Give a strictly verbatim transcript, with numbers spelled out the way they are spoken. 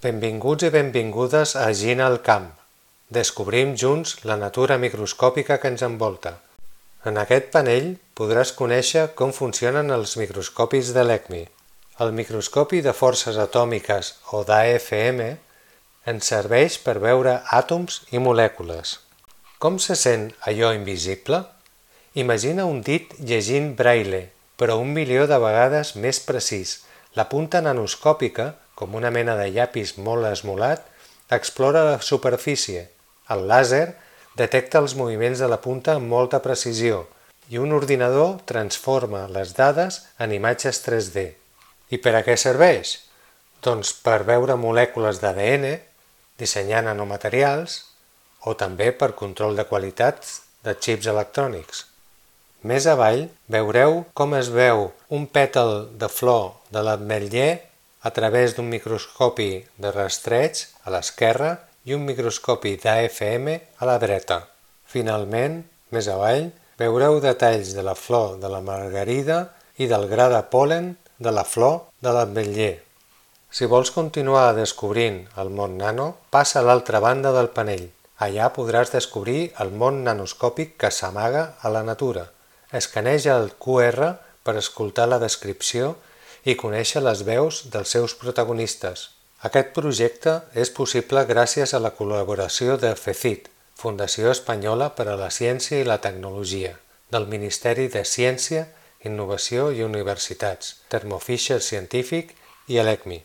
Benvinguts i benvingudes a Gina al camp. Descobrim junts la natura microscòpica que ens envolta. En aquest panell podràs conèixer com funcionen els microscopis de l'ECMI. El microscopi de forces atòmiques o d'A F M ens serveix per veure àtoms i molècules. Com se sent allò invisible? Imagina un dit llegint braille, però un milió de vegades més precís. La punta nanoscòpica, com una mena de llapis molt esmolat, explora la superfície. El làser detecta els moviments de la punta amb molta precisió i un ordinador transforma les dades en imatges tres D. I per a què serveix? Doncs per veure molècules d'A D N, dissenyar nanomaterials o també per control de qualitat de xips electrònics. Més avall veureu com es veu un pètal de flor de l'ametller a través d'un microscopi de rastreig a l'esquerra i un microscopi d'A F M a la dreta. Finalment, més avall, veureu detalls de la flor de la margarida i del gra de pol·len de la flor de l'ametller. Si vols continuar descobrint el món nano, passa a l'altra banda del panell. Allà podràs descobrir el món nanoscòpic que s'amaga a la natura. Escaneja el Q R per escoltar la descripció i conèixer les veus dels seus protagonistes. Aquest projecte és possible gràcies a la col·laboració de FECIT, Fundació Espanyola per a la Ciència i la Tecnologia, del Ministeri de Ciència, Innovació i Universitats, Thermo Fisher Scientific i l'ECMI.